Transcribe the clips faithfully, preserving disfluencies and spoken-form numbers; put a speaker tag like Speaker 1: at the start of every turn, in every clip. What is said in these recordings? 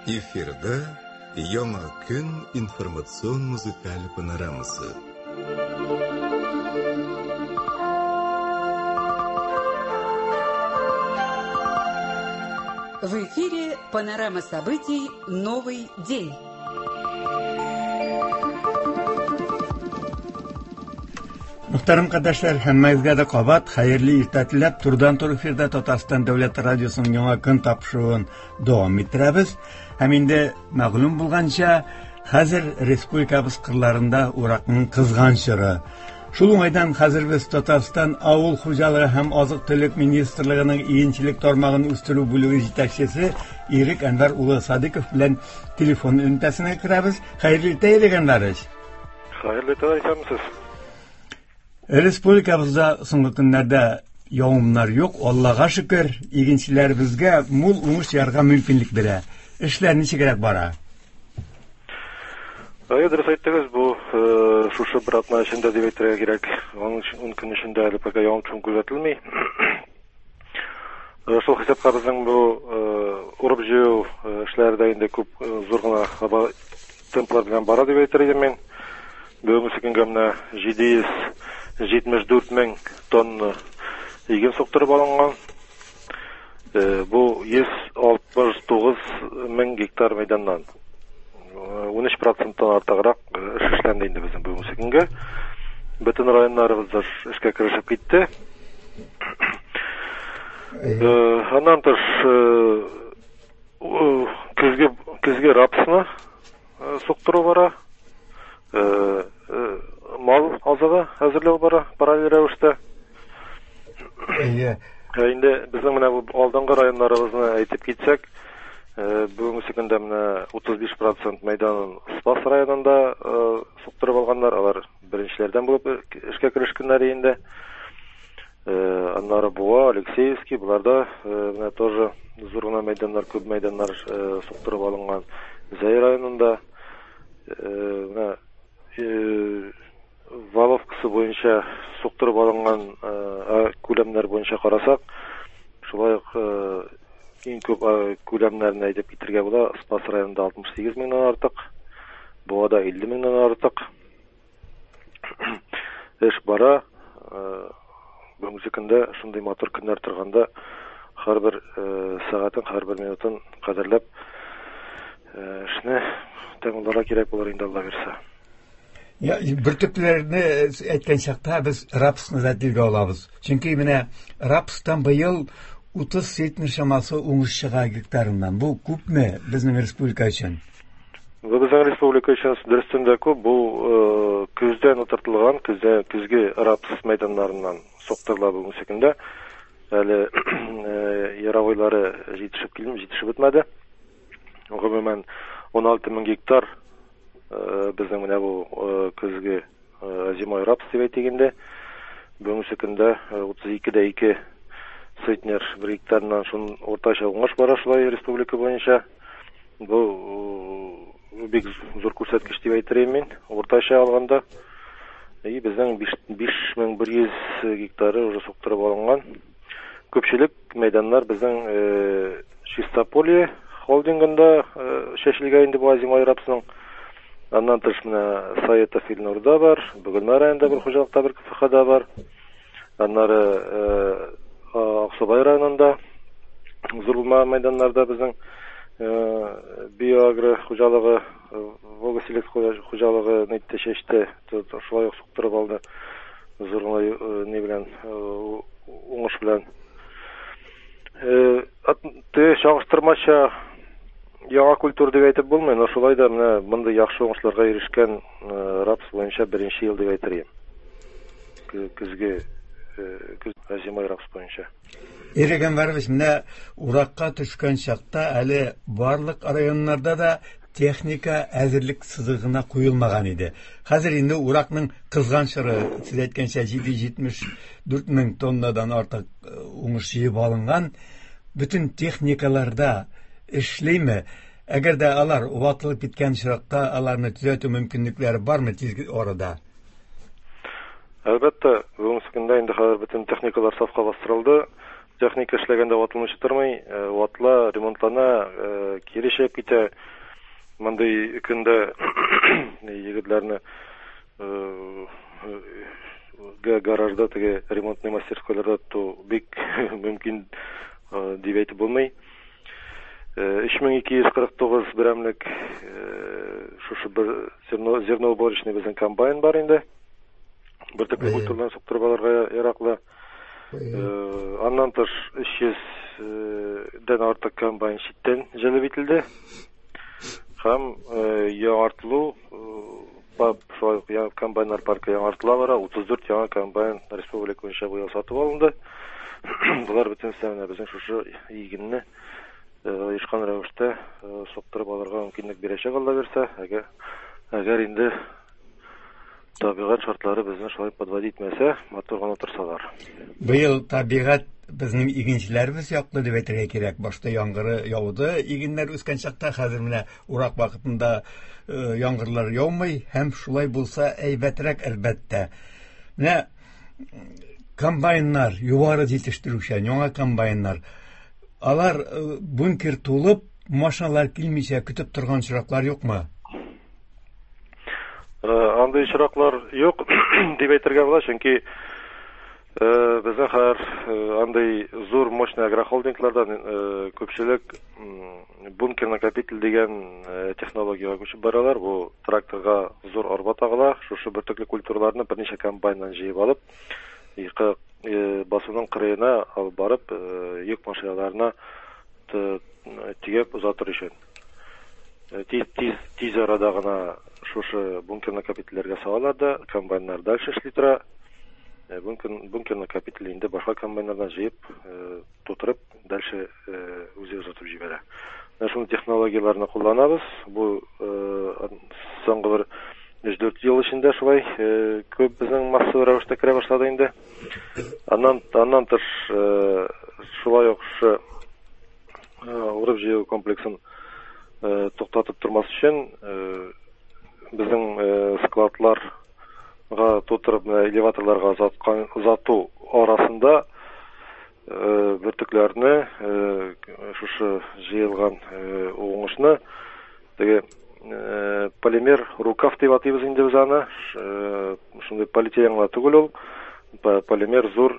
Speaker 1: Эфирда Яңа көн информацион музыкаль панорамасы.
Speaker 2: В эфире панорама событий «Новый день».
Speaker 3: Мөхтәрәм кардәшләр, һәммәгезгә дә кабат хәерле иртә теләп, турыдан-туры эфирда Татарстан дәүләт радиосының яңа көн тапшыруын дәвам иттерәбез. Һәм инде мәгълүм булганча, хәзер республикабыз кырларында уракның кызган чоры. Шул уңайдан хәзер без Татарстан Авыл хуҗалыгы һәм азык-төлек министрлыгының игенчелек тармагын үстерү бүлеге җитәкчесе Ирек Әнвәр улы Садыков белән телефон элемтәсенә керәбез. Хәерле иртә, Ирек Әнвәрович.
Speaker 4: Хәерле иртә, исәнмесез.
Speaker 3: Республикабызда соңгы көннәрдә явымнар юк, Аллага шөкер, игенчеләребезгә мул уңыш җыярга мөмкинлек бирә. Эшләр ничегрәк бара?
Speaker 4: Әйе, дөрес әйттегез, бу шушы бер атна эчендә дип әйтергә кирәк. Аның өчен ун көн эчендә әле пока явым-төшем күзәтелми. Шул хисапка безнең бу урып-җыю эшләре дә инде күп зур гына темплар белән бара дип әйтер идем мин. Бүгенге көнгә менә җиде йөз җитмеш дүрт мең тонна иген суктырып алынган. Бу йөз алтмыш тугыз мең гектар мәйданнан. Ун өч проценттан артыграк эш эшләнде инде безнең бүгенге көнгә. Бөтен районнарыбыз эшкә керешеп китте. Аннан тыш көзге, көзге рапсны суктыру бара. Мал азыгы әзерләү бара параллель рәвештә.
Speaker 3: Әйе.
Speaker 4: Инде безнең менә бу алдынгы районнарыбызны әйтеп китсәк, бүгенге көндә менә утыз биш процент мәйданын Спас районында суктырып алганнар, алар беренчеләрдән булып эшкә керешкәннәр инде. Аннары Буа, Алексеевский, буларда менә тоже зур гына мәйданнар, күп мәйданнар суктырып алынган. Зәй районында менә валовкасы буенча суктырып алынган күләмнәр буенча карасак, шулай ук иң күп күләмнәрне әйтеп китергә була. Спас районында алтмыш сигез меңнән артык, Буада илле меңнән артык. Эш бара. Бүгенге көндә шундый матур көннәр торганда һәрбер сәгатен, һәрбер минутын кадерләп эшне тәмамларга кирәк булыр инде, Алла бирсә.
Speaker 3: Я, бөртекләрне әйткән чакта без рапсны да телгә алабыз. Чөнки менә рапстан быел утыз центнер чамасы уңыш чыга гектарыннан. Бу күпме безнең республика өчен?
Speaker 4: Бу безнең республика өчен дөрестән дә күп. Бу көздән утыртылган, көздә, көзге рапс мәйданнарыннан суктырыла бүгенге көндә. Әле яровойлары җитешеп килми, җитешеп бетмәде. Гомумән ун алты мең гектар безнең менә бу көзге зимой рапс дип әйтик инде. Бүгенге көндә утыз ике дә ике центнер бер гектарыннан шун уртача уңыш бара шулай республика буенча. Бу бик зур күрсәткеч дип әйтер идем мин, уртача алганда. И безнең биш мең бер йөз гектары уже суктырып алынган. Күпчелек мәйданнар безнең Чистополье холдингында чәчелгән инде бу зимой рапсның. Аннан тыш менә Саетов Илнурда бар, Бөгелмә районында бер хуҗалыкта бер КФХда бар. Аннары Аксубай районында зур булмаган мәйданнарда безнең Биоагро хуҗалыгы, Волга Селект хуҗалыгы нитте чәчте, шулай ук суктырып алды. Зур гына ни белән, уңыш белән. Теге чагыштырмача яңа культура дип әйтеп булмый, но шулай да менә мондый яхшы уңышларга ирешкән рапс буенча беренче ел дип әйтер идем. Көзге, көз зимой рапс буенча.
Speaker 3: Ирек Әнвәрович, менә уракка төшкән чакта әле барлык районнарда да техника әзерлек сызыгына куелмаган иде. Хәзер инде уракның кызган чоры, сез әйткәнчә, җиде йөз җитмеш дүрт мең тоннадан артык уңыш җыеп алынган. Бөтен техникаларда эшлиме? Әгәр дә алар ватылып киткән очракта, аларны төзәтү мөмкинлекләре бармы тиз арада?
Speaker 4: Әлбәттә, бүгенге көндә инде хәзер бөтен техникалар сафка бастырылды. Техника эшләгәндә ватылмыйча тормый, ватыла, ремонтлана, кире чыгып китә. Мондый көндә егетләрне гаражда теге ремонтный мастерскойларда тоту бик мөмкин дип әйтеп булмый. Өч мең ике йөз кырык тугыз берәмлек шушы бер зерноуборочный безнең комбайн бар инде. Бөртекле культураларны суктырып алырга яраклы. Аннан тыш өч йөздән артык комбайн читтән җәлеп ителде. Һәм яңартылу шулай ук комбайннар паркы яңартыла бара. Утыз дүрт яңа комбайн республика буенча быел сатып алынды. Болар бөтенесе менә безнең шушы игенне оешкан рәвештә суктырып алырга мөмкинлек бирәчәк, Алла бирсә. Әгәр, әгәр инде табигать шартлары безне шулай подводить итмәсә, матур гына торсалар.
Speaker 3: Быел табигать безнең игенчеләребез яклы дип әйтергә кирәк. Башта яңгыры яуды, игеннәр үскән чакта, хәзер менә урак вакытында яңгырлар яумый, һәм шулай булса әйбәтрәк әлбәттә. Менә комбайннар, югары җитештерүче яңа комбайннар, алар бункер тулып, машиналар килмичә көтеп торган очраклар юкмы?
Speaker 4: Андый очраклар юк дип әйтергә була, чөнки безнең хәзер андый зур мощный агрохолдинглардан күпчелек бункер накопитель дигән технологиягә күчеп баралар. Бу тракторга зур арба тагыла, шушы бөртекле культураларны берничә комбайннан җыеп алып, басуның кырыена алып барып, йөк машиналарына тигеп озатыр өчен. Тиз, тиз, тиз арада гына шушы бункер накопительләргә салалар да, комбайннар дальше эшли тора. Бункер, бункер накопитель инде башка комбайннардан җыеп, тутырып, дальше үзе озатып җибәрә. Менә шуның технологияләрне кулланабыз. Бу соңгы бер өч-дүрт ел эчендә шулай күп безнең массовый рәвештә керә башлады инде. Аннан, аннан тыш шулай ук шушы урып җыю комплексын туктатып тормас өчен безнең складларга тутырып, элеваторларга озаткан, озату арасында бөртекләрне, шушы җыелган уңышны теге полимер рукав дип атыйбыз инде без аны. Шундый полиэтилен гына түгел ул, полимер зур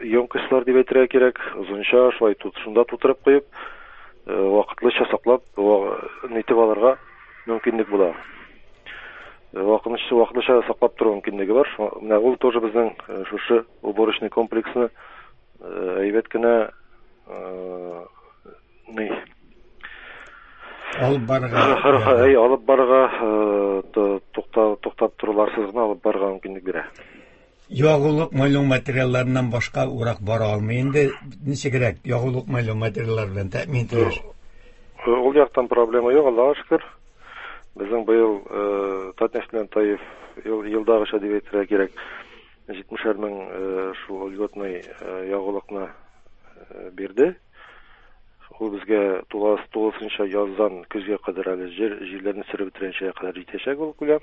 Speaker 4: емкостьлар дип әйтергә кирәк, озынча шулай шунда тутырып куеп, вакытлыча саклап, нитеп алырга мөмкинлек була. Вакытлыча, вакытлыча саклап тору мөмкинлеге бар. Менә ул тоже безнең шушы уборочный комплексны әйбәт кенә ни
Speaker 3: алып барырга,
Speaker 4: әй, алып барырга, туктап торуларсыз гына алып барырга мөмкинлек бирә.
Speaker 3: Ягулык майлау материалларыннан башка урак бара алмый инде. Ничегрәк ягулык майлау материаллары белән тәэмин ителер?
Speaker 4: Ул яктан проблема юк, Аллага шөкер. Безнең быел Татнефть белән Таиф елдагыча дип әйтергә кирәк, җитмешәр мең шул льготный ягулыкны бирде. Ул безгә тулысынча яздан көзгә кадәр әле җир, җирләрне сөреп бетергәнчә кадәр җитәчәк ул күләм.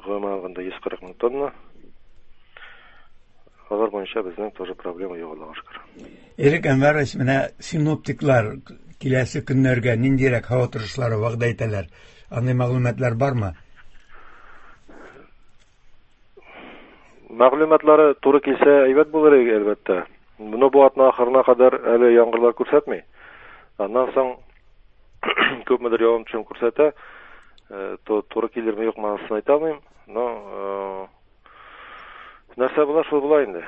Speaker 4: Гомумән алганда йөз кырык мең тонна. Алар буенча безнең тоже проблема юк, Аллага шөкер.
Speaker 3: Ирек Әнвәрович, менә синоптиклар киләсе көннәргә ниндирәк һава торышлары вәгъдә итәләр? Андый мәгълүматлар бармы?
Speaker 4: Мәгълүматлары туры килсә әйбәт булыр иде, әлбәттә. Моны бу атна ахырына кадәр әле яңгырлар күрсәтми. Аннан соң күпмедер явым-төшем күрсәтә. Туры килерме юкмы анысын әйтә алмыйм. Но нәрсә була, шул була инде.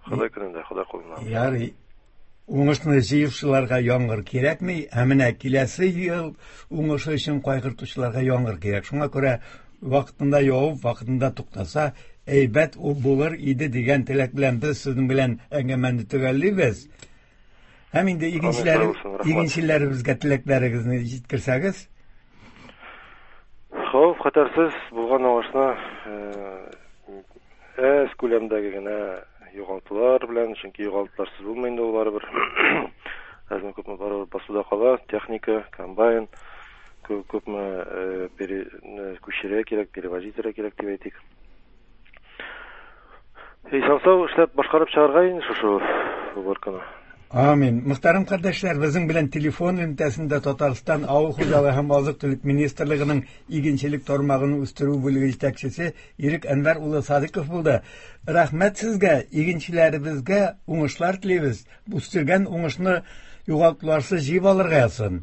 Speaker 4: Ходай көнендә, Ходай кулында.
Speaker 3: Ярый. Уңышны җыючыларга яңгыр кирәкми, ә менә киләсе ел уңышы өчен кайгыртучыларга яңгыр кирәк. Шуңа күрә вакытында явып, вакытында туктаса, әйбәт булыр иде дигән теләк белән без сезнең белән әңгәмәне төгәллибез. Һәм инде игенчеләр, игенчеләребезгә теләкләрегезне җиткерсәгез.
Speaker 4: Хәвеф хәтәрсез булган уңышны әз күләмдәге генә югалтулар белән, чөнки югалтуларсыз булмый инде ул барыбер. Әзме күпме барыбер басуда кала, техника, комбайн, күпме күчерергә кирәк, перевозить итәргә кирәк дип әйтик. Исән-сау эшләп башкарып чыгарга инде шушы уборканы.
Speaker 3: Амин. Мөхтәрәм кардәшләр, безнең белән телефон элемтәсендә Татарстан Авыл хуҗалыгы һәм азык-төлек министрлыгының игенчелек тармагын үстерү бүлеге җитәкчесе Ирек Әнвәр улы Садыков булды. Рәхмәт сезгә, игенчеләребезгә уңышлар телибез. Үстергән уңышны югалтуларсыз җыеп алырга язсын.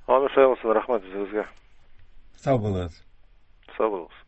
Speaker 4: Амин, шулай булсын, рәхмәт сезгә.
Speaker 3: Сау булыгыз.
Speaker 4: Сау булыгыз.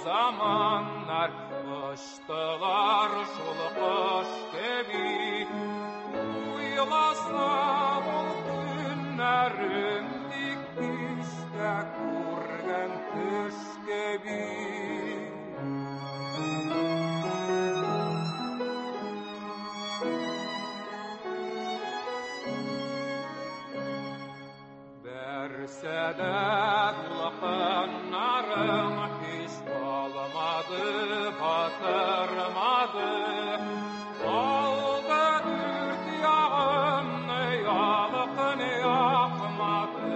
Speaker 5: Zamanlar kıştılar şul kış gibi, uylasam ol günlerim dik düşte kurgen tüş gibi. Berse de dulqınlarım hiç almadı, batırmadı. Aldı dürt yağını, yalqın yakmadı,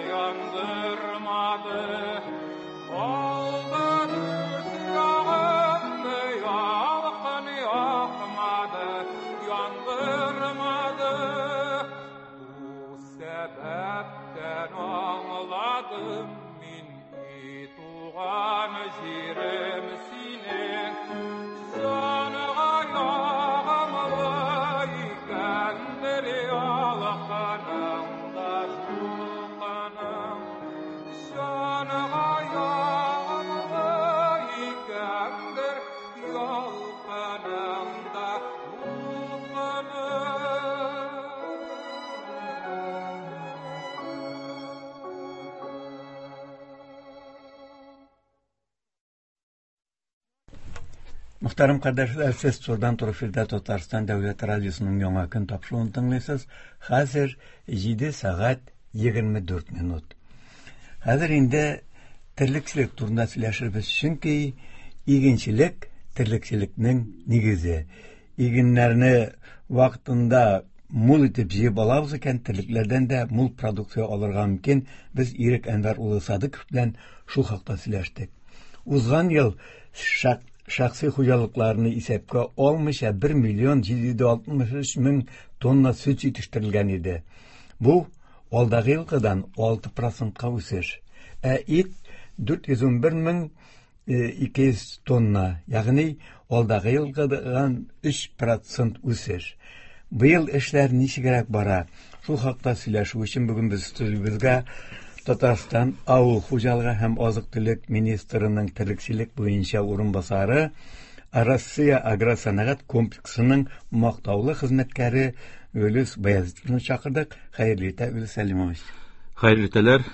Speaker 5: yandırmadı. Aldı dürt yağını, yalqın yakmadı, yandırmadı. Bu sebepten anladım min ituğan jirim sinin. Canğa yağımlı ikendir yalqınım da julqınım. Canğa yağımlı ikendir yalqınım da julqınım.
Speaker 3: Мөхтәрәм кардәшләр, сез турыдан туры эфирдә Татарстан Дәүләт радиосының яңа көн тапшыруын тыңлыйсыз. Хәзер җиде сәгать егерме дүрт минут. Хәзер инде терлекчелек турында сөйләшербез, чөнки игенчелек терлекчелекнең нигезе. Игеннәрне вакытында мул итеп җыеп алабыз икән, терлекләрдән дә мул продукция алырга мөмкин. Без Ирек Әнвәр улы Садыков белән шул хакта сөйләштек. Узган ел шак шәхси хуҗалыкларны исәпкә алмыйча бер миллион җиде йөз алтмыш өч мең тонна сөт җитештерелгән иде. Бу алдагы елгыдан алты процентка үсеш. Ә ит дүрт йөз унбер мең ике йөз тонна, ягъни алдагы елгыдан өч процент үсеш. Быел эшләр ничегрәк бара? Шул хакта сөйләшү өчен бүген без студиябезгә Татарстан Авыл хуҗалыгы һәм азык-төлек министрының терлекчелек буенча урынбасары, Россия агросәнәгать комплексының мактаулы хезмәткәре Гөлүс Баязитовны чакырдык. Хәерле иртә, Гөлүс Сәлимович.
Speaker 6: Хәерле иртәләр.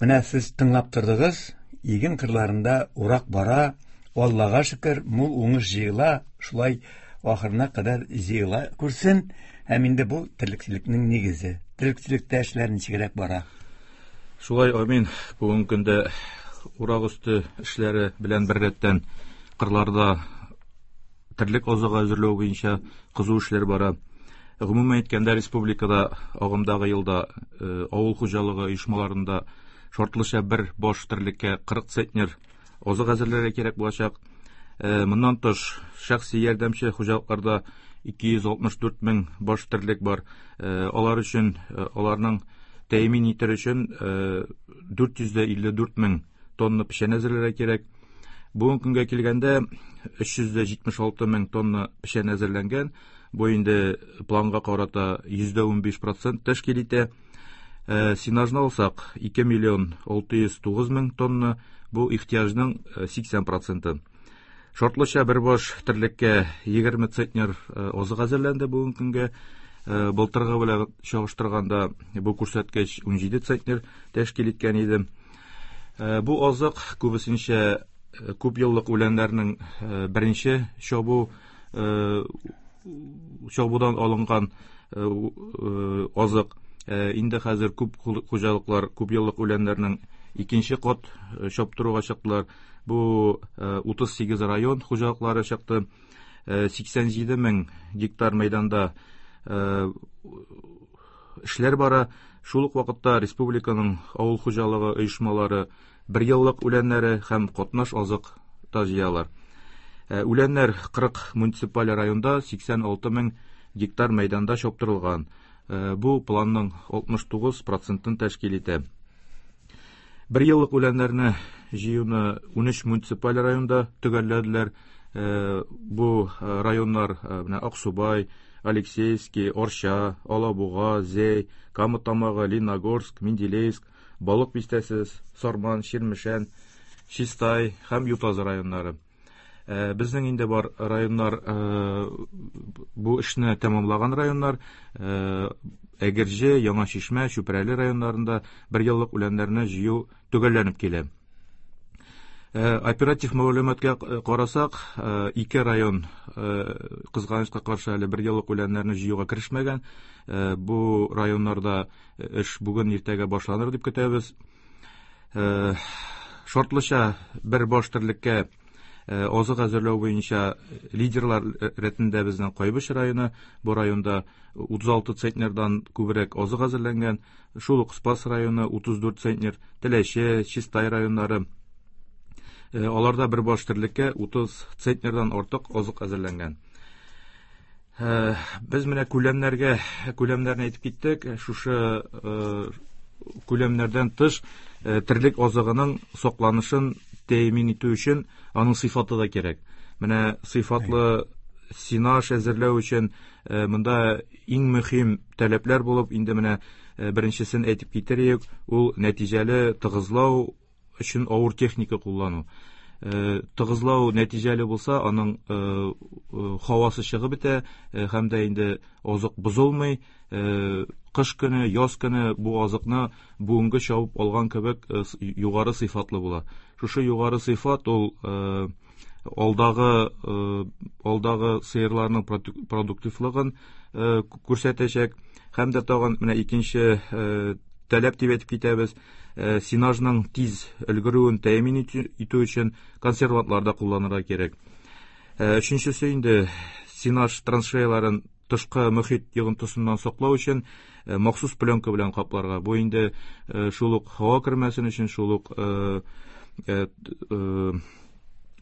Speaker 3: Менә сез тыңлап тордыгыз, иген кырларында урак бара, Аллага шөкер, мул уңыш җыела, шулай ахырына кадәр җыела күрсен. Һәм инде бу терлекчелекнең нигезе. Терлекчелектә эшләр ничегрәк бара?
Speaker 6: Шулай, амин. Бүгенге көндә урак өсте эшләре белән беррәттән кырларда терлек азыгы әзерләү буенча кызу эшләр бара. Гомумән әйткәндә, республикада агымдагы елда авыл хуҗалыгы оешмаларында шартлыча бер баш терлеккә кырык центнер азык әзерләргә кирәк булачак. Моннан тыш, шәхси ярдәмче хуҗалыкларда ике йөз алтмыш дүрт мең баш терлек бар. Алар өчен, аларның тәэмин итер өчен дүрт йөз илле дүрт мең тонна печән әзерләргә кирәк. Бүгенге көнгә килгәндә өч йөз җитмеш алты мең тонна печән әзерләнгән. Бу инде планга карата йөздә унбиш процент тәшкил итә. Сенажны алсак, ике миллион алты йөз тугыз мең тонна, бу ихтыяҗның сиксән проценты. Шартлыча бер баш терлеккә егерме центнер азык әзерләнде бүгенге көнгә. Былтыргы белән чагыштырганда бу күрсәткеч унҗиде центнер тәшкил иткән иде. Бу азык күбесенчә күп еллык үләннәрнең беренче чабу чабудан алынган азык. Инде хәзер күп хуҗалыклар күп еллык үләннәрнең икенче кат чаптыруга чыктылар. Бу утыз сигез район хуҗалыклары чыкты. Сиксән җиде мең гектар мәйданда эшләр бара. Шул ук вакытта республиканың авыл хуҗалыгы оешмалары бер еллык үләннәре һәм катнаш азык та җыялар. Үләннәр кырык муниципаль районда сиксән алты мең гектар мәйданда чаптырылган. Бу планның алтмыш тугыз процентын тәшкил итә. Бер еллык үләннәрне җыюны унөч муниципаль районда төгәлләделәр. Бу районнар менә Аксубай, Алексеевский, Орча, Алабуга, Зәй, Кама Тамагы, Лениногорск, Менделеевск, Балык Бистәсе, Сарман, Чирмешән, Чистай һәм Ютазы районнары. Безнең инде бар районнар, бу эшне тәмамлаган районнар, Әгерҗе, Яңа Чишмә, Чүпрәле районнарында бер еллык үләннәрне җыю төгәлләнеп килә. Оператив мәгълүматка карасак, ике район кызганычка каршы әле бер еллык үләннәрне җыюга керешмәгән. Бу районнарда эш бүген иртәгә башланыр дип көтәбез. Шартлыча бер баш терлеккә азык әзерләү буенча лидерлар рәтендә безнең Кайбыч районы. Бу районда утыз алты центнердан күбрәк азык әзерләнгән. Шул ук Спас районы утыз дүрт центнер, Теләче, Чистай районнары. Аларда бер баш терлеккә утыз центнердан артык азык әзерләнгән. Без менә күләмнәргә, күләмнәрне әйтеп киттек. Шушы күләмнәрдән тыш терлек азыгының сакланышын тәэмин итү өчен аның сыйфаты да кирәк. Менә сыйфатлы сенаж әзерләү өчен монда иң мөһим таләпләр булып, инде менә беренчесен әйтеп китерик, ул нәтиҗәле тыгызлау өчен авыр техника куллану. Тыгызлау нәтиҗәле булса, аның һавасы чыгып бетә, һәм дә инде азык бозылмый. Кыш көне, яз көне бу азыкны бүгенге чабып алган кебек югары сыйфатлы була. Шушы югары сыйфат ул алдагы, алдагы сыерларның продуктивлыгын күрсәтәчәк. Һәм дә тагын менә икенче таләп дип әйтеп китәбез, сенажның тиз өлгерүен тәэмин итү өчен консервантлар да кулланырга кирәк. Өченчесе инде сенаж траншеяларын тышкы мөхит йогынтысыннан саклау өчен махсус пленка белән капларга. Бу инде шул ук һава кермәсен өчен, шул ук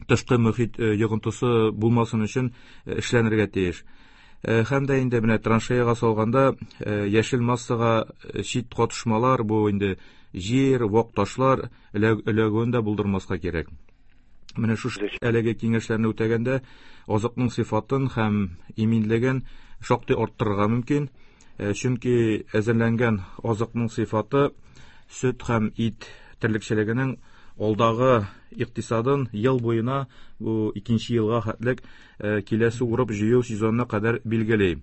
Speaker 6: тышкы мөхит йогынтысы булмасын өчен эшләнергә тиеш. Һәм дә инде менә траншеяга салганда яшел массага чит катышмалар, бу инде җир, вак ташлар эләгүен дә булдырмаска кирәк. Менә шушы әлеге киңәшләрне үтәгәндә азыкның сыйфатын һәм иминлеген шактый арттырырга мөмкин. Чөнки әзерләнгән азыкның сыйфаты сөт һәм ит терлекчелегенең алдагы икътисадын ел буена, бу икенче елга хәтлек киләсе урып җыю сезонына кадәр билгели.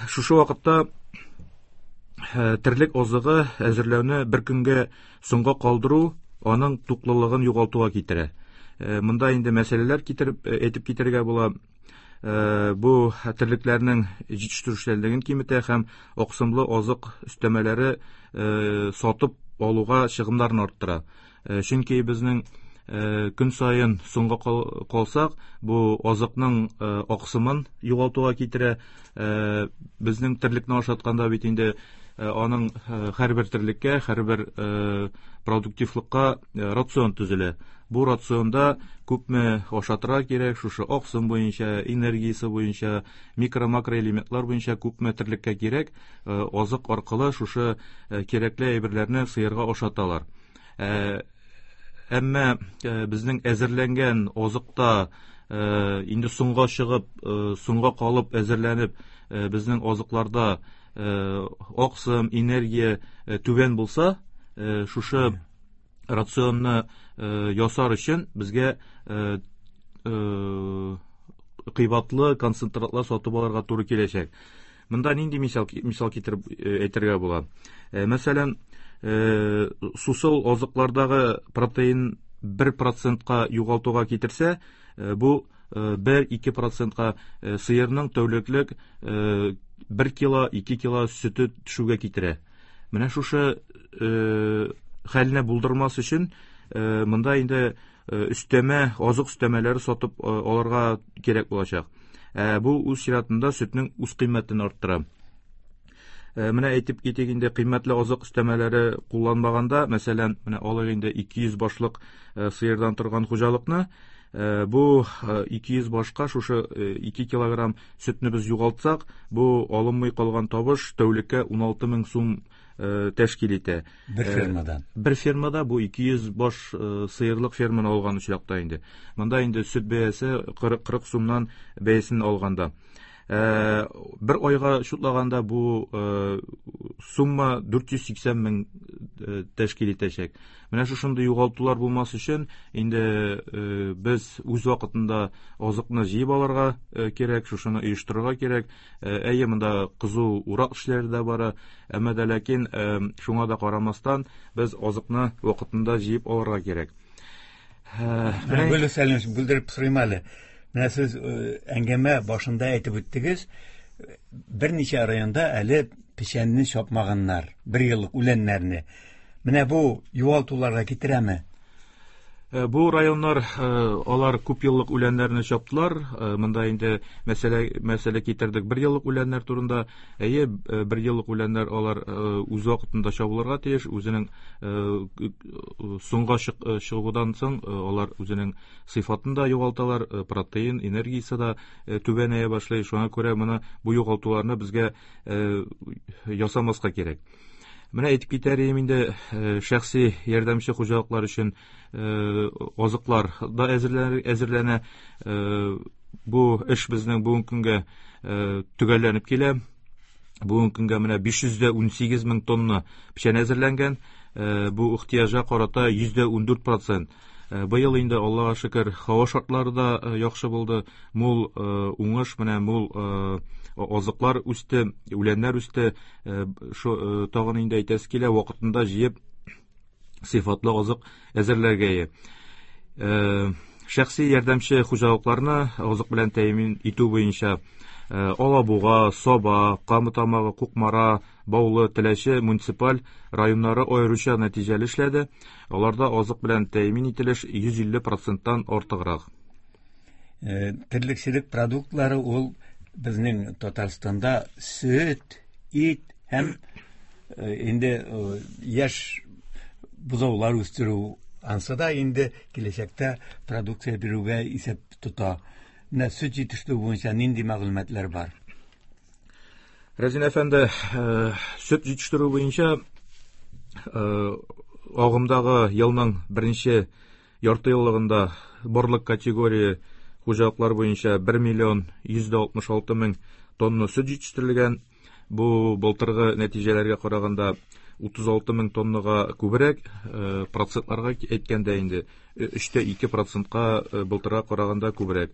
Speaker 6: Шушы вакытта терлек азыгы әзерләүне бер көнгә соңга калдыру аның туклылыгын югалтуга китерә. Монда инде мәсьәләләр китереп әйтеп китәргә була. Бу терлекләрнең җитештерүчәнлеген киметә һәм аксымлы азык өстәмәләре сатып алуга чыгымнарны арттыра. Чөнки безнең көн саен соңга калсак, бу азыкның аксымын югалтуга китерә. Безнең терлекне ашатканда бит инде аның һәрбер терлеккә, һәрбер продуктивлыкка рацион төзелә. Бу рационда күпме ашатырга кирәк, шушы аксым буенча, энергиясе буенча, микро-макроэлементлар буенча күпме терлеккә кирәк, азык аркылы шушы кирәкле әйберләрне сыерга ашаталар. Әмма безнең әзерләнгән азыкта инде соңга чыгып, соңга калып әзерләнеп, безнең азыкларда аксым, энергия түбән булса, шушы рационны ясар өчен безгә кыйбатлы концентратлар сатып алырга туры киләчәк. Монда нинди мисал мисал китереп әйтергә була? Мәсәлән, сусыл азыклардагы протеин бер процентка югалтуга китерсә, бу бер-ике процентка сыерның тәүлеклек бер кило, ике кило сөте төшүгә китерә. Менә шушы хәлне булдырмас өчен монда инде өстәмә, азык өстәмәләре сатып алырга кирәк булачак. Бу үз чиратында сөтнең үз кыйммәтен арттыра. Менә әйтеп китик инде, кыйммәтле азык өстәмәләре кулланмаганда, мәсәлән, менә алыйк инде ике йөз башлык сыердан торган хуҗалыкны, бу ике йөз башка шушы ике килограмм сөтне без югалтсак, бу алынмый калган табыш тәүлеккә уналты мең сум тәшкил итә.
Speaker 3: Бер фермадан.
Speaker 6: Бер фермада бу ике йөз баш сыерлык ферманы алган очракта инде. Монда инде сөт бәясе кырык сумнан бәясен алганда. Бер айга шутлаганда бу сумма дүрт йөз сиксән мең тәшкил итәчәк. Менә шушындый югалтулар булмас өчен инде без үз вакытында азыкны җыеп алырга кирәк, шушыны оештырырга кирәк. Әйе, монда кызу урак эшләре дә бара, әмма дә ләкин шуңа да карамастан без азыкны вакытында җыеп алырга кирәк.
Speaker 3: Менә Гөлүс Сәлимович, бүлдереп сорыйм әле. Менә сез әңгәмә башында әйтеп үттегез, берничә районда әле печәнне чапмаганнар, бер еллык үләннәрне. Менә бу югалтуларга китерәме?
Speaker 6: Бу районнар, алар күп еллык үләннәрне чаптылар. Монда инде мәсьәлә, мәсьәлә китердек бер еллык үләннәр турында. Әйе, бер еллык үләннәр алар үз вакытында чабылырга тиеш, үзенең соңга чыгудан соң алар үзенең сыйфатын да югалталар, протеин, энергиясе дә түбәнәя башлый. Шуңа күрә моны, бу югалтуларны безгә ясамаска кирәк. Менә әйтеп китәр идем инде, шәхси ярдәмче хуҗалыклар өчен азыклар да әзерләнә. Бу эш безнең бүгенге көнгә төгәлләнеп килә. Бүгенге көнгә менә биш йөз дә унсигез мең тонна печән әзерләнгән. Бу ихтыяҗга карата йөз дә ундүрт процент. Быел инде Аллага шөкер, һава шартлары да яхшы булды. Мул уңыш, менә мул азыклар үсте, үләннәр үсте. Шу тагын инде әйтәсе килә, вакытында җыеп сыйфатлы азык әзерләргә. Шәхси ярдәмче хуҗалыкларны азык белән тәэмин итү буенча Алабуга, Саба, Кама Тамагы, Кукмара, Баулы, Теләче муниципаль районнары аеруча нәтиҗәле эшләде. Аларда азык белән тәэмин ителеш йөз илле проценттан артыграк.
Speaker 3: Терлекчелек продуктлары ул безнең Татарстанда сөт, ит һәм инде яшь бозаулар үстерү, ансы да инде киләчәктә продукция бирүгә исәп тота. Менә сөт җитештерү буенча нинди мәгълүматлар бар?
Speaker 6: Разин әфәнде, сөт җитештерү буенча агымдагы елның беренче ярты еллыгында барлык категория хуҗалыклар буенча бер миллион йөз дә алтмыш алты мең тонна сөт җитештерелгән. Бу былтыргы нәтиҗәләргә караганда утыз алты мең тоннага күбрәк, процентларга әйткәндә инде өч тә ике процентка былтырга караганда күбрәк.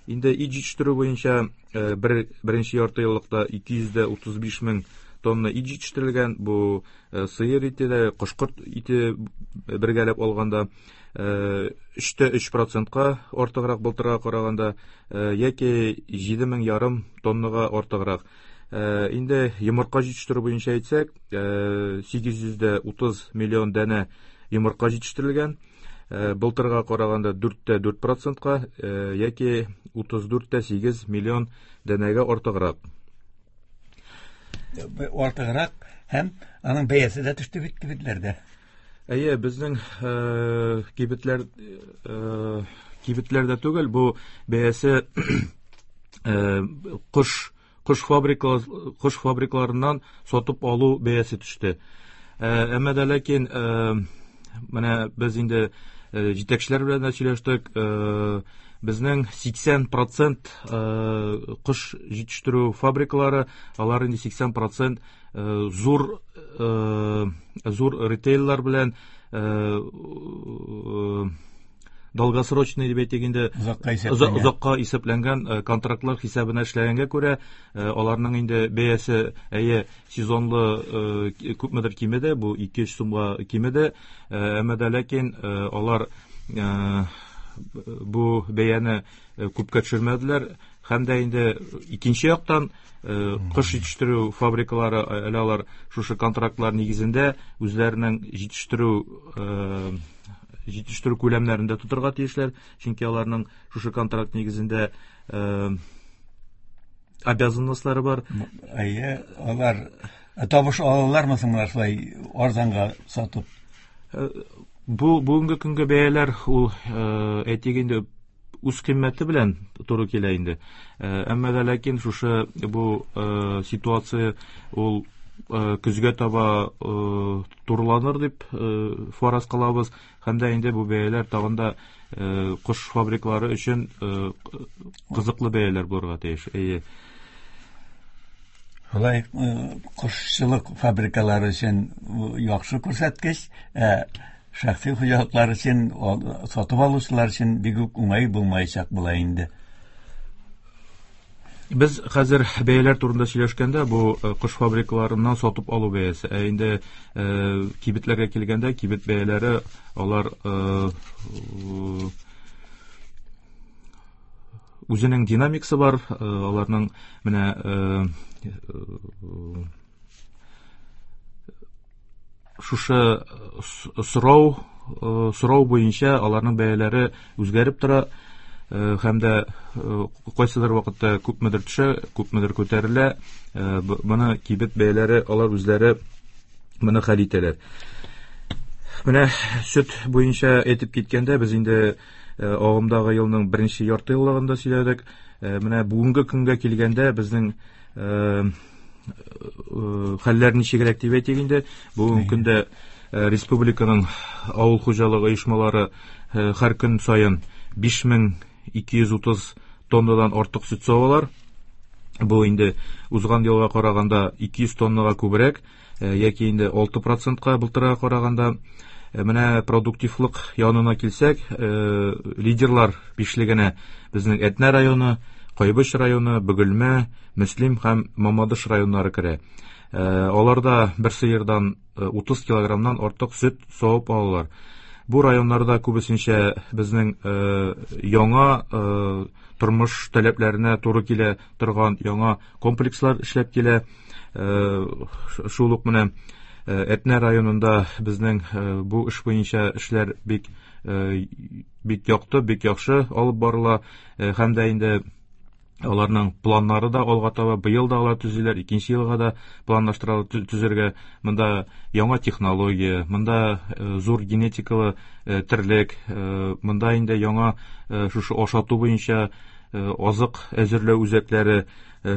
Speaker 6: Инде ит җитештерү буенча бер, беренче ярты еллыкта ике йөз дә утыз биш мең тонна ит җитештерелгән. Бу сыер ите дә, кошкорт ите бергәләп алганда өч тә өч процентка артыграк былтырга караганда, яки җиде мең ярым тоннага артыграк. Инде йомырка җитештерү буенча әйтсәк, сигез йөз дә утыз миллион данә йомырка җитештерелгән. Былтырга караганда дүрт тә дүрт процентка, яки утыз дүрт тә сигез миллион данәгә артыграк.
Speaker 3: Артыграк һәм аның бәясе дә төште бит кибетләрдә.
Speaker 6: Әйе, безнең кибетләр, кибетләрдә түгел, бу бәясе кош, кош фабрикалар, кош фабрикаларыннан сатып алу бәясе төште. Әмма дә ләкин, менә без инде җитәкчеләр белән дә сөйләштек, безнең сиксән процент кош җитештерү фабрикалары, алар инде сиксән процент зур, зур ритейллар белән долгосрочный дип әйтик инде,
Speaker 3: Озакка исәпләнгән.
Speaker 6: озакка исәпләнгән контрактлар хисабына эшләгәнгә күрә, аларның инде бәясе, әйе, сезонлы күпмедер кимеде, бу ике-өч сумга кимеде, әмма дә ләкин алар бу бәяне күпкә төшермәделәр. Һәм дә инде икенче яктан, кош җитештерү фабрикалары әле алар шушы контрактлар нигезендә үзләренең җитештерү, җитештерү күләмнәрен дә тотырга тиешләр, чөнки аларның шушы контракт нигезендә обязанностьлары бар.
Speaker 3: Әйе, алар табыш алалармы соң менә шулай арзанга сатып?
Speaker 6: Бу бүгенге көнгә бәяләр ул, әйтик инде, үз кыйммәте белән туры килә инде. Әмма дә ләкин шушы бу ситуация ул көзгә таба турыланыр дип фараз кылабыз. Һәм дә инде бу бәяләр тагын да кош фабрикалары өчен кызыклы бәяләр булырга тиеш. Әйе.
Speaker 3: Шулай, кошчылык фабрикалары өчен яхшы күрсәткеч, ә шәхси хуҗалыклар өчен, сатып алучылар өчен бик үк уңай булмаячак була инде.
Speaker 6: Без хәзер бәяләр турында сөйләшкәндә, бу кош фабрикаларыннан сатып алу бәясе. Ә инде кибетләргә килгәндә, кибет бәяләре алар үзенең динамикасы бар, аларның менә шушы сорау, сорау буенча аларның бәяләре үзгәреп тора. Һәм дә кайсыдыр вакытта күпмедер төшә, күпмедер күтәрелә. Моны кибет бәяләре алар үзләре моны хәл итәләр. Менә сөт буенча әйтеп киткәндә, без инде агымдагы елның беренче ярты еллыгында сөйләдек. Менә бүгенге көнгә килгәндә безнең хәлләр ничегрәк дип әйтик инде. Бүгенге көндә республиканың авыл хуҗалыгы оешмалары һәр көн саен биш мең ике йөз утыз тоннадан артык сөт савалар. Бу инде узган елга караганда ике йөз тоннага күбрәк, яки инде алты процентка былтырга караганда. Менә продуктивлык янына килсәк, лидерлар бишлегенә безнең Әтнә районы, Кайбыч районы, Бөгелмә, Мөслим һәм Мамадыш районнары керә. Аларда бер сыердан утыз килограммнан артык сөт савып алалар. Бу районнарда күбесенчә безнең яңа тормыш таләпләренә туры килә торган яңа комплекслар эшләп килә. Шул ук менә Әтнә районында безнең бу эш буенча эшләр бик, бик якты, бик яхшы алып барыла. Һәм дә инде аларның планнары да алга таба, быел да алар төзиләр, икенче елга да планлаштыралар төзергә. Монда яңа технология, монда зур генетикалы терлек, монда инде яңа шушы ашату буенча азык әзерләү үзәкләре.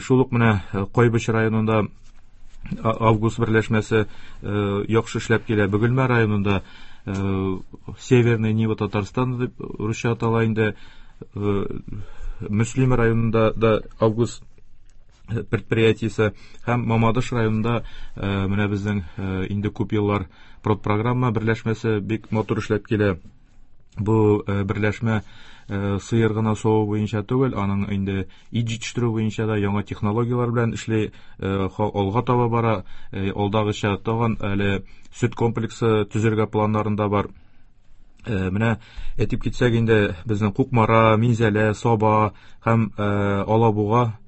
Speaker 6: Шул ук менә Кайбыч районында Август берләшмәсе яхшы эшләп килә. Бөгелмә районында Северный Нива Татарстан дип русча атала инде. Мөслим районында да Август предприятиесе һәм Мамадыш районында менә безнең инде күп еллар продпрограмма берләшмәсе бик матур эшләп килә. Бу берләшмә сыер гына саву буенча түгел, аның инде ит җитештерү буенча да яңа технологияләр белән эшли, алга таба бара. Алдагыча тагын әле сөт комплексы төзергә планнарында бар. Менә әйтеп китсәк инде, безнең Кукмара, Минзәлә, Саба һәм Алабуга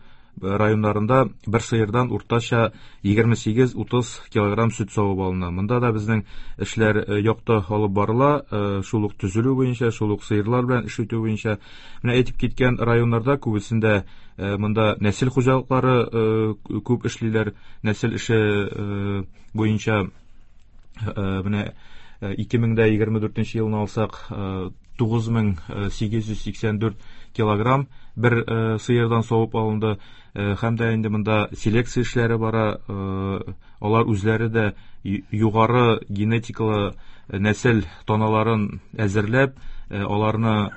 Speaker 6: районнарында бер сыердан уртача егерме сигез утыз килограмм сөт савып алына. Монда да безнең эшләр якты алып барыла, шул ук төзелү буенча, шул ук сыерлар белән эш итү буенча. Менә әйтеп киткән районнарда күбесендә монда нәсел хуҗалыклары күп эшлиләр, нәсел эше буенча. Менә ике мең дә егерме дүртенче елны алсак, тугыз мең сигез йөз сиксән дүрт килограмм бер сыердан савып алынды. Һәм дә инде монда селекция эшләре бара. Алар үзләре дә югары генетикалы нәсел таналарын әзерләп, аларны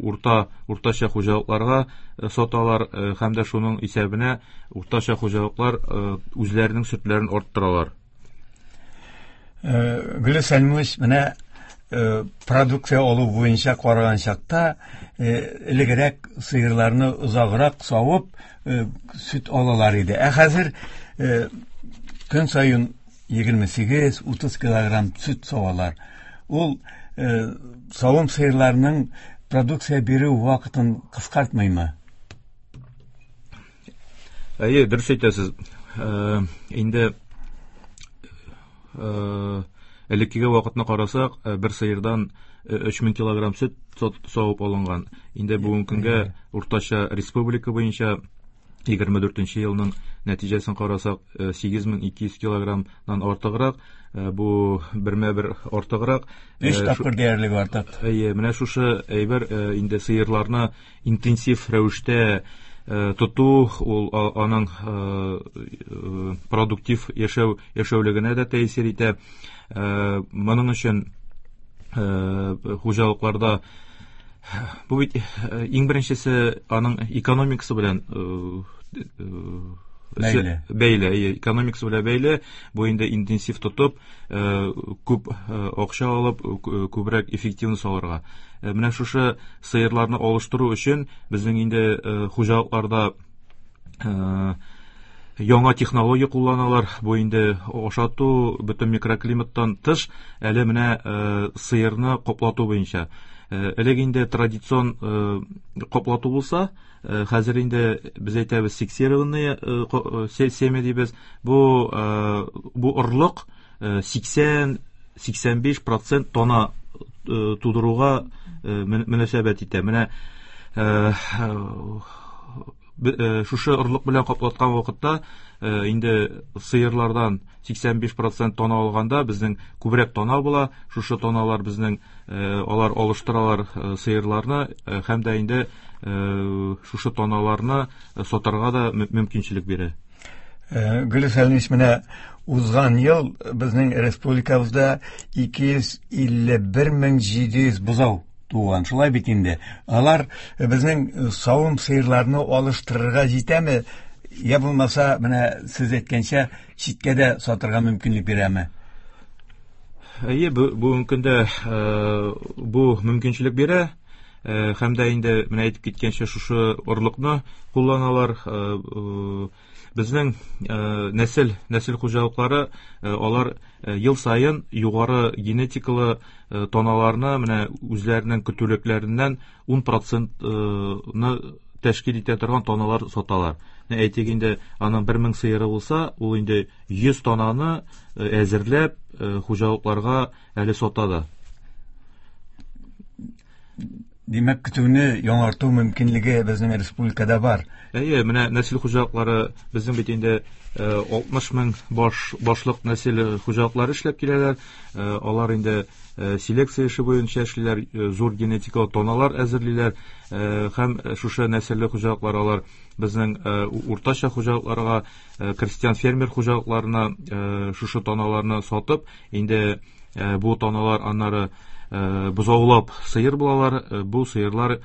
Speaker 6: урта, уртача хуҗалыкларга саталар, һәм дә шуның исәбенә уртача хуҗалыклар үзләренең сөтләрен арттыралар.
Speaker 3: Гөлүс Сәлимович, менә продукция алу буенча караган чакта, элегрәк сыерларны озаграк савып, сөт алалар иде. Ә хәзер көн саен егерме сигез утыз килограмм сөт савалар. Ул савым сыерларының продукция бирү вакытын кыскартмыймы?
Speaker 6: Әйе, дөрес әйтәсез. Инде элеккеге вакытны карасак, бер сыердан өч мең килограмм сөт савып алынган. Инде бүгенге көнгә уртача республика буенча егерме дүртенче елның нәтиҗәсен карасак, сигез мең ике йөз килограммнан артыграк, бу бермә-бер артыграк.
Speaker 3: Өч тапкыр диярлек артык.
Speaker 6: Әйе, менә шушы әйбер инде сыерларны интенсив рәвештә тоту, ул аның продуктив яшәү, яшәүлегенә дә тәэсир итә. Моның өчен хуҗалыкларда бу бит иң беренчесе аның экономикасы белән
Speaker 3: бәйле.
Speaker 6: Бәйле, әйе, экономикасы белән бәйле. Бу инде интенсив тотып, күп акча алып, күбрәк эффективность алырга. Менә шушы сыерларны алыштыру өчен безнең инде хуҗалыкларда яңа технология кулланалар. Бу инде ашату, бөтен микроклиматтан тыш, әле менә сыерны каплату буенча. Элек инде традицион каплату булса, хәзер инде без әйтәбез фиксированные семя дибез. Бу, бу орлык сиксән, сиксән биш процент тона тудыруга мөнәсәбәт итә. Менә шушы орлык белән каплаткан вакытта инде сыерлардан сиксән биш процент тона алганда безнең күбрәк тона була. Шушы тоналар безнең, алар алыштыралар сыерларны, һәм дә инде шушы тоналарны сатарга да мөмкинчелек бирә.
Speaker 3: Гөлүс Сәлимович, менә узган ел безнең республикабызда ике йөз илле бер мең җиде йөз бозау туган. Шулай бит инде. Алар безнең савым сыерларны алыштырырга җитәме? Я булмаса, менә сез әйткәнчә, читкә дә сатырга мөмкинлек бирәме?
Speaker 6: Әйе, бүгенге көндә бу мөмкинчелек бирә. Һәм дә инде менә әйтеп киткәнчә шушы орлыкны кулланалар. Безнең нәсел, нәсел хуҗалыклары, алар ел саен югары генетикалы таналарны менә үзләренең көтүлекләреннән ун процентны тәшкил итә торган таналар саталар. Менә әйтик инде, аның бер мең сыеры булса, ул инде йөз тананы әзерләп хуҗалыкларга әле сата да.
Speaker 3: Димәк, көтүне яңарту мөмкинлеге безнең республикада бар.
Speaker 6: Әйе, менә нәсел хуҗалыклары безнең бит инде алтмыш мең баш, башлык нәсел хуҗалыклары эшләп киләләр. Алар инде селекция эше буенча эшлиләр, зур генетикалы тоналар әзерлиләр. Һәм шушы нәселле хуҗалыклар алар безнең уртача хуҗалыкларга, крестьян фермер хуҗалыкларына шушы тоналарны сатып, инде бу тоналар аннары бозаулап сыер булалар. Бу сыерлар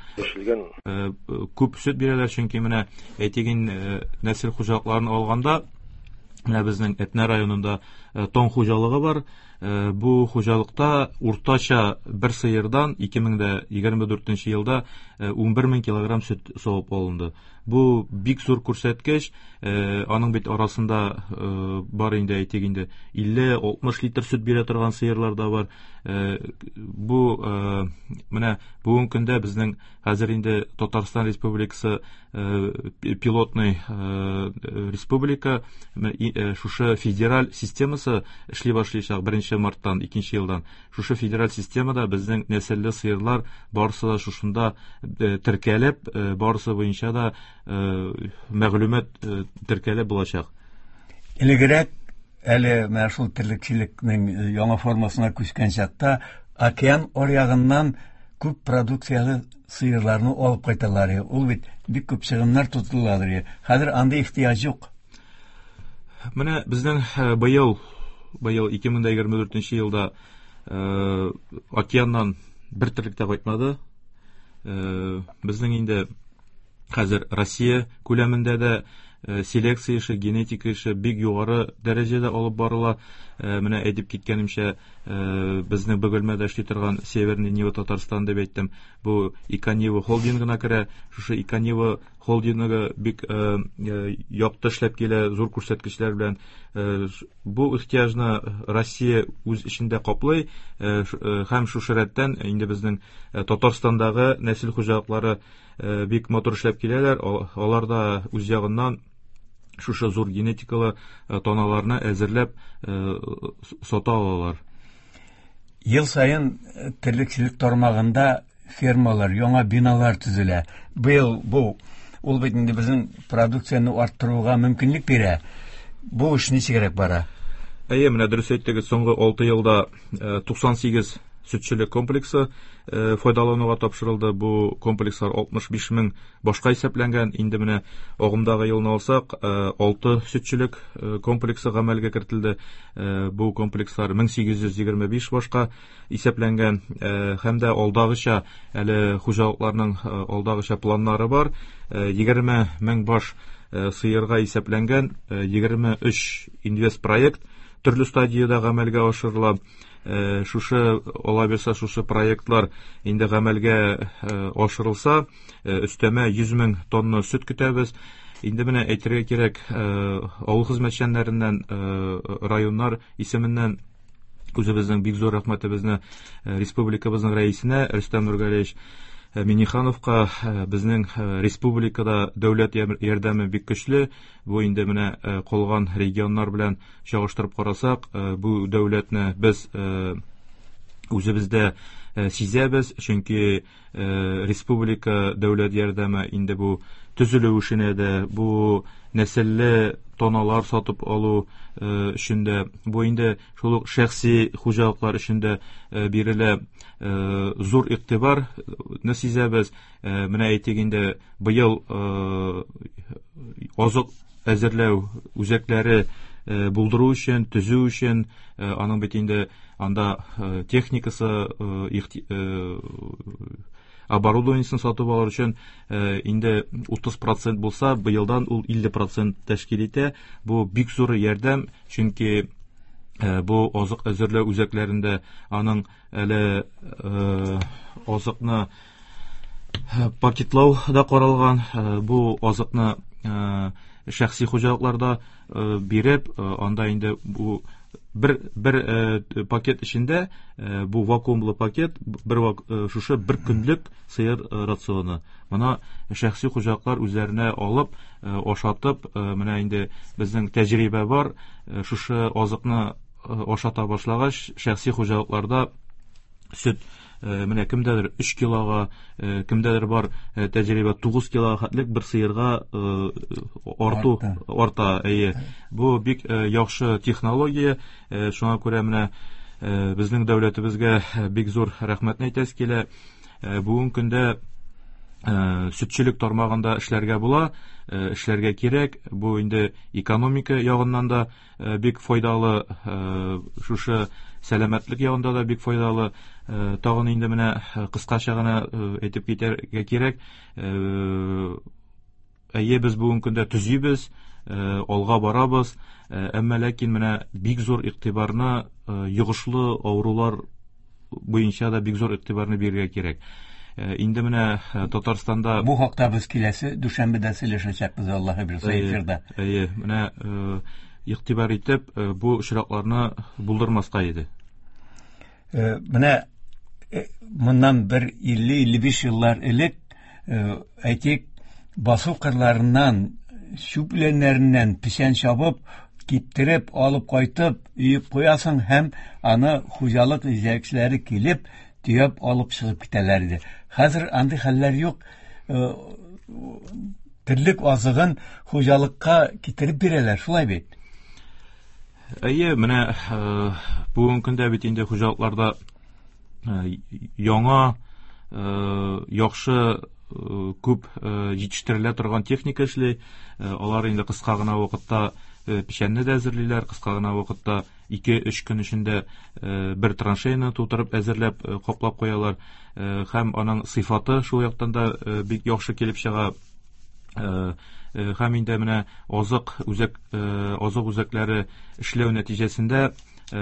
Speaker 6: күп сөт бирәләр, чөнки менә әйтик инде, нәсел хуҗалыкларын алганда, менә безнең Әтнә районында Таң хуҗалыгы бар. Бу хуҗалыкта уртача бер сыердан ике мең дә егерме дүртенче елда унбер мең килограмм сөт савып алынды. Бу бик зур күрсәткеч. Аның бит арасында бар инде, әйтик инде, илле алтмыш литр сөт бирә торган сыерлар да бар. Бу менә бүгенге көндә безнең хәзер инде Татарстан Республикасы пилотный республика, шушы федераль системасы эшли башлыйчак беренче марттан икенче елдан. Шушы федераль системада безнең нәселле сыерлар барысы да шушында теркәлеп, барысы буенча да мәгълүмат теркәлеп булачак.
Speaker 3: Элегрәк әле менә шул терлекчелекнең яңа формасына күчкән чакта океан аръягыннан күп продукцияле сыерларны алып кайталар. Ул бит бик күп чыгымнар тотыладыр. Хәзер андый ихтыяҗ юк.
Speaker 6: Менә безнең быел, быел ике мең дә егерме дүртенче елда океаннан бер терлек тә кайтмады. Безнең инде хәзер Россия күләмендә дә селекция эше, генетика эше бик югары дәрәҗәдә алып барыла. Менә әйтеп киткәнемчә, безнең Бөгелмәдә эшли торган Северный Нива Татарстан дип әйттем. Бу Иконива холдингына керә. Шушы Иконива холдингы бик якты эшләп килә, зур күрсәткечләр белән. Бу ихтыяҗны Россия үз эчендә каплый һәм шушы рәттән инде безнең Татарстандагы нәсел хуҗалыклары бик матур эшләп киләләр. Алар да үз ягыннан шушы зур генетикалы таналарны әзерләп сата алалар.
Speaker 3: Ел саен терлекчелек тармагында фермалар, яңа биналар төзелә. Быел бу ул бит инде безнең продукцияне арттыруга мөмкинлек бирә. Бу эш ничегрәк бара?
Speaker 6: Әйе, менә дөрес әйттегез, соңгы алты елда туксан сигез сөтчелек комплексы файдалануга тапшырылды. Бу комплекслар алтмыш биш мең башка исәпләнгән. Инде менә агымдагы елны алсак, алты сөтчелек комплексы гамәлгә кертелде. Бу комплекслар мең сигез йөз егерме биш башка исәпләнгән. Һәм дә алдагыча әле хуҗалыкларның алдагыча планнары бар. Егерме мең баш сыерга исәпләнгән егерме өч инвестпроект төрле стадиядә гамәлгә ашырыла. Шушы ала бирсә, шушы проектлар инде гамәлгә ашырылса, өстәмә йөз мең тонна сөт көтәбез. Инде менә әйтергә кирәк, авыл хезмәтчәннәреннән, районнар исеменнән үзебезнең бик зур рәхмәтебезне республикабызның рәисенә Рөстәм Нургалиевич Миннихановка. Безнең республикада дәүләт ярдәме бик көчле. Бу инде менә калган регионнар белән чагыштырып карасак, бу дәүләтне без үзебездә сизәбез, чөнки республика дәүләт ярдәме инде бу төзелү эшенә дә, бу нәселле тоналар сатып алу өчен дә, бу инде шул ук шәхси хуҗалыклар өчен дә бирелә. Зур игътибарны сизәбез. Менә әйтик инде, быел азык әзерләү үзәкләре булдыру өчен, төзү өчен, аның бит инде анда техникасы, оборудованиесен сатып алыр өчен инде утыз процент булса, быелдан ул илле процент тәшкил итә. Бу бик зур ярдәм, чөнки бу азык әзерләү үзәкләрендә аның әле азыкны пакетлау да каралган. Бу азыкны шәхси хуҗалыкларда биреп, анда инде бу бер, бер пакет эчендә, бу вакуумлы пакет, бер шушы бер көнлек сыер рационы. Моны шәхси хуҗалыклар үзләренә алып, ашатып, менә инде безнең тәҗрибә бар, шушы азыкны ашата башлагач, шәхси хуҗалыкларда сөт менә кемдәдер өч килога, кемдәдер бар тәҗрибә тугыз килога хәтлек бер сыерга арту арта. Әйе, бу бик яхшы технология. Шуңа күрә менә безнең дәүләтебезгә бик зур рәхмәтне әйтәсе килә. Бүгенге көндә сөтчелек тармагында эшләргә була, эшләргә кирәк. Бу инде экономика ягыннан да бик файдалы, шушы сәламәтлек ягында да бик файдалы. Тагын инде менә кыскача гына әйтеп китәргә кирәк. Әйе, без бүгенге көндә төзибез, алга барабыз. Әмма ләкин менә бик зур игътибарны йогышлы авырулар буенча да бик зур игътибарны бирергә кирәк. Инде менә Татарстанда
Speaker 3: бу хакта без киләсе дүшәмбедә сөйләшәчәкбез, Аллаһы бирсә, эфирда.
Speaker 6: Әйе, менә игътибар итеп бу очракларны булдырмаска иде.
Speaker 3: Менә моннан бер илле-илле биш еллар элек, әйтик, басу кырларыннан, чүп үләннәреннән печән чабып, киптереп, алып кайтып, өеп куясың һәм аны хуҗалык җитәкчеләре килеп, төяп алып чыгып китәләр иде. Хәзер андый хәлләр юк. Терлек азыгын хуҗалыкка китереп бирәләр, шулай бит?
Speaker 6: Әйе, менә бүгенге көндә бит инде хуҗалыкларда яңа, яхшы, күп җитештерелә торган техника эшли. Алар инде кыска гына вакытта печәнне дә әзерлиләр, кыска гына вакытта ике-өч көн эчендә бер траншеяны тутырып әзерләп, каплап куялар. Һәм аның сыйфаты шул яктан да бик яхшы килеп чыга. Һәм инде менә азык үзәк, азык үзәкләре эшләү нәтиҗәсендә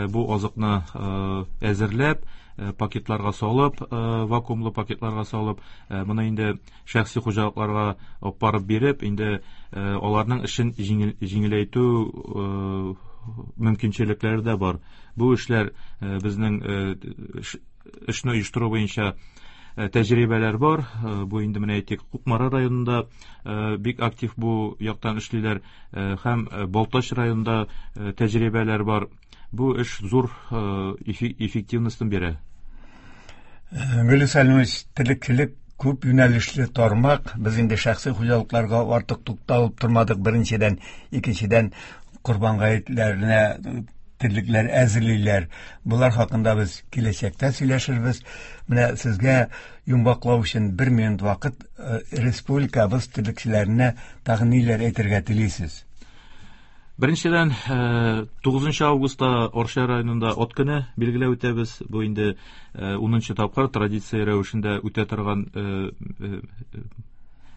Speaker 6: бу азыкны әзерләп, пакетларга салып, вакуумлы пакетларга салып, моны инде шәхси хуҗалыкларга алып барып биреп, инде аларның эшен җиңеләйтү мөмкинчелекләре дә бар. Бу эшләр безнең эшне оештыру буенча тәҗрибәләр бар. Бу инде менә әйтик, Кукмара районында бик актив бу яктан эшлиләр, һәм Балтач районында тәҗрибәләр бар. Бу эш зур эффективностен бирә.
Speaker 3: Гөлүс Сәлимович, терлекчелек күп юнәлешле тармак. Без инде шәхси хуҗалыкларга артык тукталып тормадык, беренчедән, икенчедән корбан гаетләренә терлекләр әзерлиләр. Булар хакында без киләчәктә сөйләшербез. Менә сезгә йомгаклау өчен бер минут вакыт, республикабыз терлекчеләренә тагын ниләр әйтергә телисез?
Speaker 6: Беренчедән, тугызынчы августта Арча районында ат көне билгеләп үтәбез. Бу инде унынчы тапкыр традиция рәвешендә үтә торган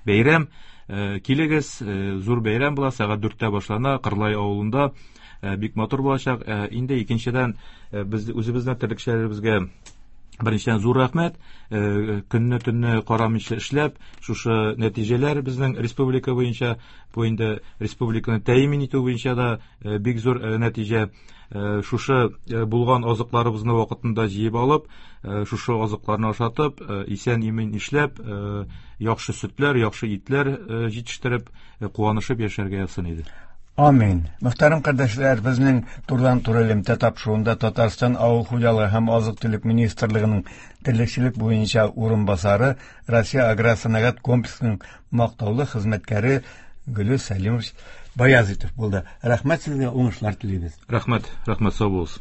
Speaker 6: бәйрәм. Килегез, зур бәйрәм була, сәгать дүрттә башлана, Кырлай авылында. Бик матур булачак. Инде икенчедән, без үзебезнең терлекчеләребезгә беренчедән зур рәхмәт. Көнне төнне карамыйча эшләп, шушы нәтиҗәләр безнең республика буенча, бу инде республиканы тәэмин итү буенча да бик зур нәтиҗә. Шушы булган азыкларыбызны вакытында җыеп алып, шушы азыкларны ашатып, исән-имин эшләп, яхшы сөтләр, яхшы итләр җитештереп, куанышып яшәргә язсын иде.
Speaker 3: Амин. Мөхтәрәм кардәшләр, безнең турыдан-туры элемтә тапшыруында Татарстан Авыл хуҗалыгы һәм азык-төлек министрлыгының терлекчелек буенча урынбасары, Россия аграр сәнәгать комплексының мактаулы хезмәткәре Гөлүс Сәлимович Баязитов булды. Рәхмәт сезгә, уңышлар телибез.
Speaker 6: Рәхмәт, рәхмәт, сау булыгыз.